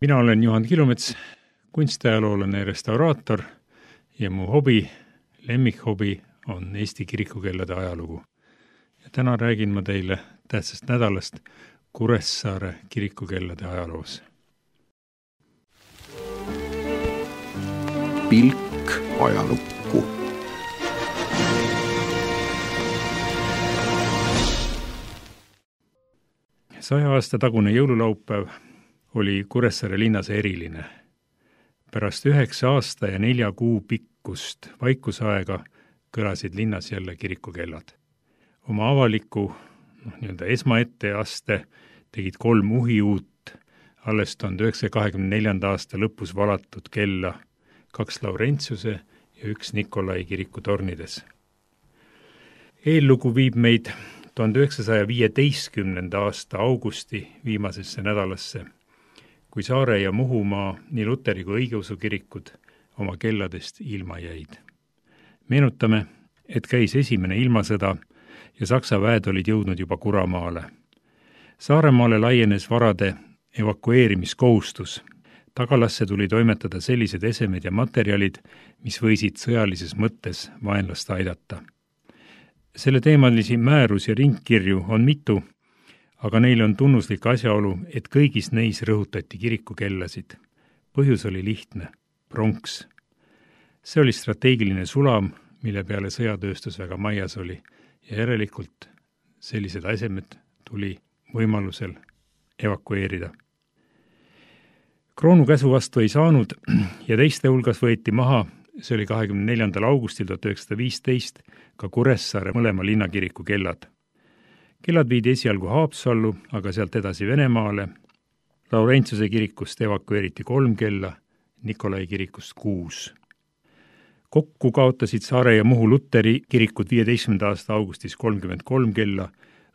Mina olen Juhan Kilumets, kunstiajaloolane ja restauraator ja mu lemmikhobi on Eesti kirikukellade ajalugu. Ja täna räägin ma teile tähtsast nädalast Kuressaare kirikukellade ajaloos. Pilk ajalukku. Saja aasta tagune jõululaupäev oli Kuressaare linnas eriline. Pärast 9 aasta ja 4 kuu pikkust vaikusaega kõlasid linnas jälle kirikukellad. Oma avaliku esmaetteaste tegid 3 uhiuut, alles 1924. aasta lõpus valatud kella, 2 Laurentiuse ja 1 Nikolai kiriku tornides. Eellugu viib meid 1915. aasta augusti viimasesse nädalasse, kui Saare ja Muhumaa nii luteri kui õigeusu kirikud oma kelladest ilma jäid. Meenutame, et käis esimene ilmasõda ja Saksa väed olid jõudnud juba Kuramaale. Saaremaale laienes varade evakueerimiskohustus. Tagalasse tuli toimetada sellised esemed ja materjalid, mis võisid sõjalises mõttes vaenlast aidata. Selle teemalisi määrus- ja ringkirju on mitu, aga neil on tunnuslik asjaolu, et kõigis neis rõhutati kirikukellasid. Põhjus oli lihtne, pronks. See oli strateegiline sulam, mille peale sõjatööstus väga maias oli ja järelikult sellised esemed tuli võimalusel evakueerida. Kroonu käsu vastu ei saanud ja teiste hulgas võeti maha, see oli 24. augustil 1915, ka Kuressaare mõlema linnakiriku kellad. Kellad viidi esialgu Haapsallu, aga sealt edasi Venemaale. Laurentiuse kirikust evakueeriti 3 kella, Nikolai kirikust 6. Kokku kaotasid Saare ja Muhu luteri kirikud 15. aasta augustis 33 kella,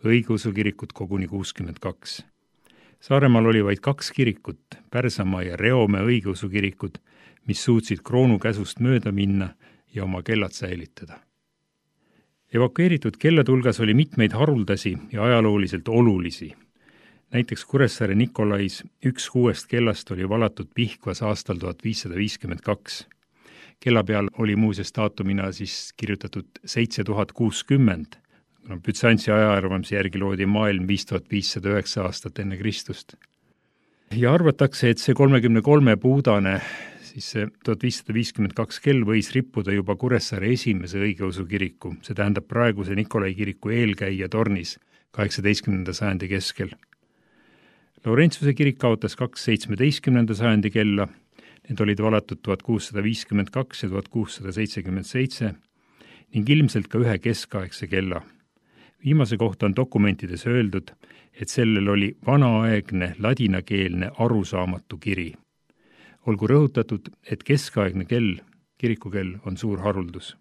õigeusu kirikut koguni 62. Saaremaal oli vaid 2 kirikut, Pärsamaa ja Reomäe õigeusu kirikud, mis suutsid kroonu käsust mööda minna ja oma kellad säilitada. Evakueeritud kellade hulgas oli mitmeid haruldasi ja ajalooliselt olulisi. Näiteks Kuressaare Nikolais 1 6 kellast oli valatud Pihkvas aastal 1552. Kella peal oli muuseas daatumina siis kirjutatud 7060. Bütsantsi ajaarvamise järgi loodi maailm 5509 aastat enne Kristust. Ja arvatakse, et see 33 puudane, siis see 1552 kell võis rippuda juba Kuressaare esimese õigeusu kiriku, see tähendab praeguse Nikolai kiriku eelkäija tornis 18. sajandi keskel. Laurentiuse kirik kaotas 2 17. sajandi kella, need olid valatud 1652 ja 1677 ning ilmselt ka 1 keskaegse kella. Viimase kohta on dokumentides öeldud, et sellel oli vanaaegne ladinakeelne arusaamatu kiri. Olgu rõhutatud, et keskaegne kell, kirikukell, on suur haruldus.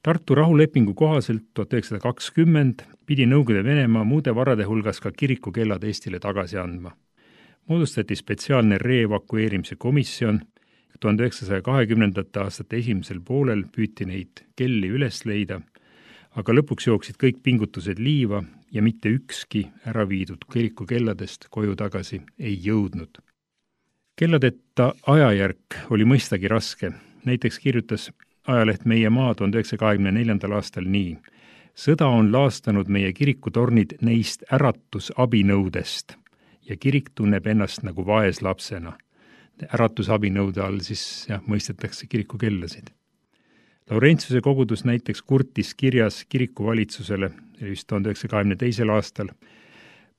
Tartu rahulepingu kohaselt 1920 pidi Nõukogude Venemaa muude varade hulgas ka kirikukellad Eestile tagasi andma. Moodustati spetsiaalne reevakueerimise komisjon, 1920. aastate esimesel poolel püüti neid kelli üles leida, aga lõpuks jooksid kõik pingutused liiva ja mitte ükski ära viidud kirikukelladest koju tagasi ei jõudnud. Kelladeta ajajärk oli mõistagi raske. Näiteks kirjutas ajaleht Meie Maa 1924. aastal nii: sõda on laastanud meie kirikutornid neist äratusabinõudest ja kirik tunneb ennast nagu vaeslapsena. Äratusabinõude all siis mõistetakse kirikukellasid. Laurentiuse kogudus näiteks kurtis kirjas kirikuvalitsusele, just 1922. aastal,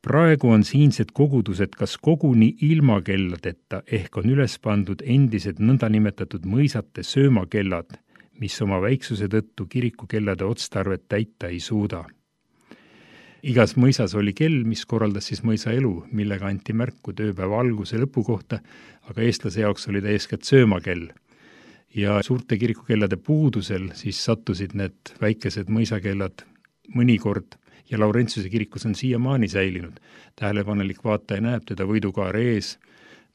praegu on siinsed kogudused kas koguni ilma kelladeta ehk on üles pandud endised nõndanimetatud mõisate söömakellad, mis oma väiksuse tõttu kirikukellade otstarvet täita ei suuda. Igas mõisas oli kell, mis korraldas siis mõisa elu, millega anti märku tööpäeva alguse lõpu kohta, aga eestlase jaoks oli ta eeskätt söömakell. Ja suurte kirikukellade puudusel siis sattusid need väikesed mõisakellad mõnikord ja Laurentiuse kirikus on siiamaani säilinud. Tähelepanelik vaataja näeb teda võidukaare ees,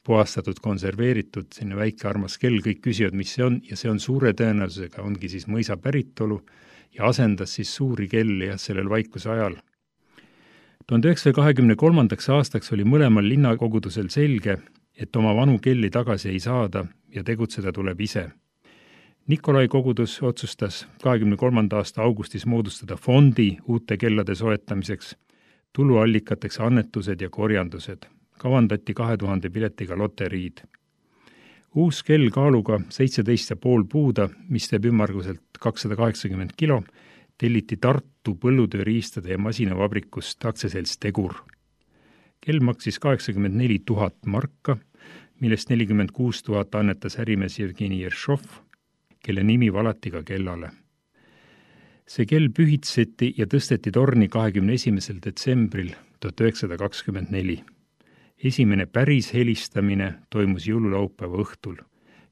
puhastatud, konserveeritud, sinna väike armas kell, kõik küsivad, mis see on, ja see on suure tõenäosusega, ongi siis mõisa päritolu ja asendas siis suuri kelli sellel vaikuse ajal. 1923. aastaks oli mõlemal linnakogudusel selge, et oma vanu kelli tagasi ei saada ja tegutseda tuleb ise. Nikolai kogudus otsustas 23. aasta augustis moodustada fondi uute kellade soetamiseks, tuluallikateks annetused ja korjandused. Kavandati 2000 piletiga loteriid. Uus kell kaaluga 17,5 puuda, mis teeb ümmarguselt 280 kilo, telliti Tartu põllutööriistade ja masinavabrikust aktsiaselts Tegur. Kell maksis 84 000 marka, millest 46 000 annetas ärimees Jevgeni Jeršov, kelle nimi valati ka kellale. See kell pühitseti ja tõsteti torni 21. detsembril 1924. Esimene päris helistamine toimus jõululaupäeva õhtul.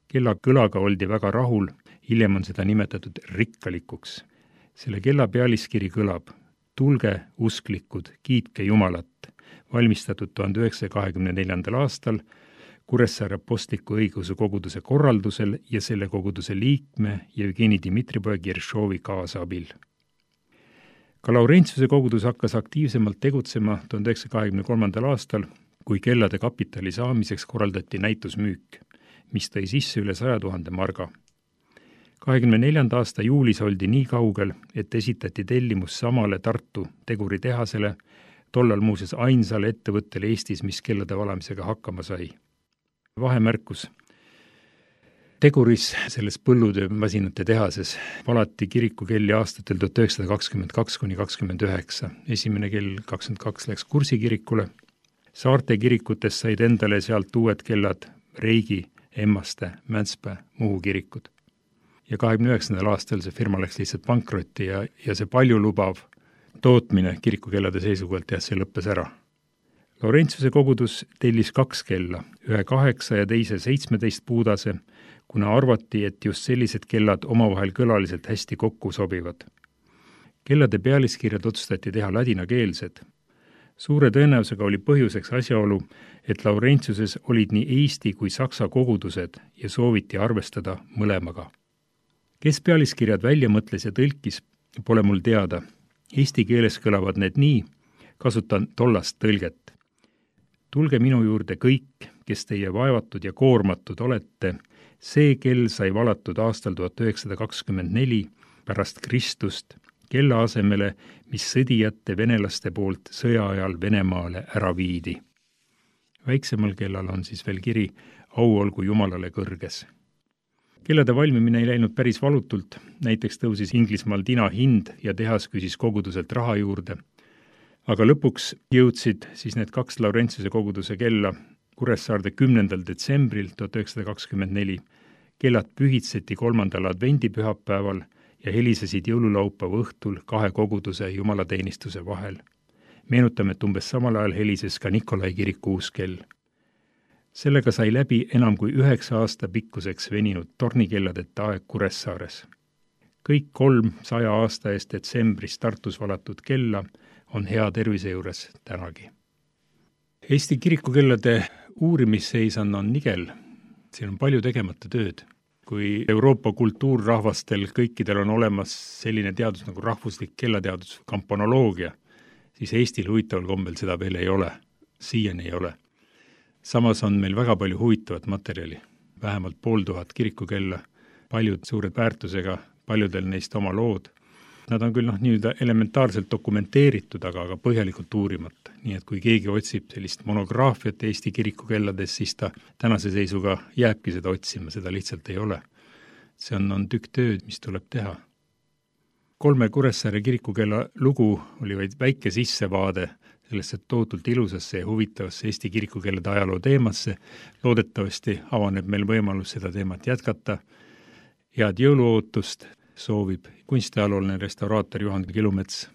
Kella kõlaga oldi väga rahul, hiljem on seda nimetatud rikkalikuks. Selle kella pealiskiri kõlab: tulge, usklikud, kiitke Jumalat, valmistatud 1924. aastal Kuressaare Apostliku õigeusu koguduse korraldusel ja selle koguduse liikme Jevgeni Dmitripoja Jeršovi kaasabil. Ka Laurentiuse kogudus hakkas aktiivsemalt tegutsema 1923. aastal, kui kellade kapitali saamiseks korraldati näitusmüük, mis tõi sisse üle 100 000 marga. 24. aasta juulis oldi nii kaugel, et esitati tellimus samale Tartu teguritehasele, tollal muuseas ainsale ettevõttele Eestis, mis kellade valamisega hakkama sai. Vahemärkus. Teguris, selles põllutöömasinate tehases, valati kirikukelli aastatel 1922–29. Esimene kell 22 läks Kursi kirikule. Saarte kirikutest said endale sealt uued kellad Reigi, Emmaste, Mäntspää, Muhu kirikud. Ja 29. aastal see firma läks lihtsalt pankrotti ja see paljulubav tootmine kirikukellade seisukohalt see lõppes ära. Laurentiuse kogudus tellis 2 kella, ühe 8 ja teise 17 puudase, kuna arvati, et just sellised kellad omavahel kõlaliselt hästi kokku sobivad. Kellade pealiskirjad otsustati teha ladinakeelsed. Suure tõenäosusega oli põhjuseks asjaolu, et Laurentiuses olid nii Eesti kui saksa kogudused ja sooviti arvestada mõlemaga. Kes pealiskirjad välja mõtles ja tõlkis, pole mul teada. Eesti keeles kõlavad need nii, kasutan tollast tõlget. Tulge minu juurde kõik, kes teie vaevatud ja koormatud olete, see kell sai valatud aastal 1924 pärast Kristust kella asemele, mis sõdijate venelaste poolt sõja ajal Venemaale ära viidi. Väiksemal kellal on siis veel kiri au olgu Jumalale kõrges. Kellade valmimine ei läinud päris valutult, näiteks tõusis Inglismaal tina hind ja tehas küsis koguduselt raha juurde. Aga lõpuks jõudsid siis need 2 Laurentiuse koguduse kella Kuressaarde 10. detsembril 1924. Kellad pühitseti 3. advendipühapäeval ja helisesid jõululaupäeva õhtul 2 koguduse jumalateenistuse vahel. Meenutame, et umbes samal ajal helises ka Nikolai kiriku uus kell. Sellega sai läbi enam kui 9 aasta pikkuseks veninud tornikelladeta aeg Kuressaares. Kõik 3 100 aasta eest detsembris Tartus valatud kella on hea tervise juures tänagi. Eesti kirikukellade uurimisseis on nigel. Siin on palju tegemata tööd. Kui Euroopa kultuurrahvastel kõikidel on olemas selline teadus nagu rahvuslik kellateadus, kampanoloogia, siis Eestil huvitaval kombel seda veel ei ole. Siiani ei ole. Samas on meil väga palju huvitavat materjali. Vähemalt 500 kirikukella, paljud suured väärtusega, paljudel neist oma lood. Nad on küll nii-öelda elementaarselt dokumenteeritud, aga põhjalikult uurimata. Nii et kui keegi otsib sellist monograafiat Eesti kirikukellades, siis ta tänase seisuga jääbki seda otsima, seda lihtsalt ei ole. See on tükk tööd, mis tuleb teha. 3 Kuressaare kirikukella lugu oli vaid väike sissevaade sellesse tohutult ilusasse ja huvitavasse Eesti kirikukellade ajaloo teemasse. Loodetavasti avaneb meil võimalus seda teemat jätkata. Head jõuluootust soovib kunstiajalooline restauraator Juhan Kilumets.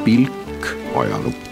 pilk ajalukku.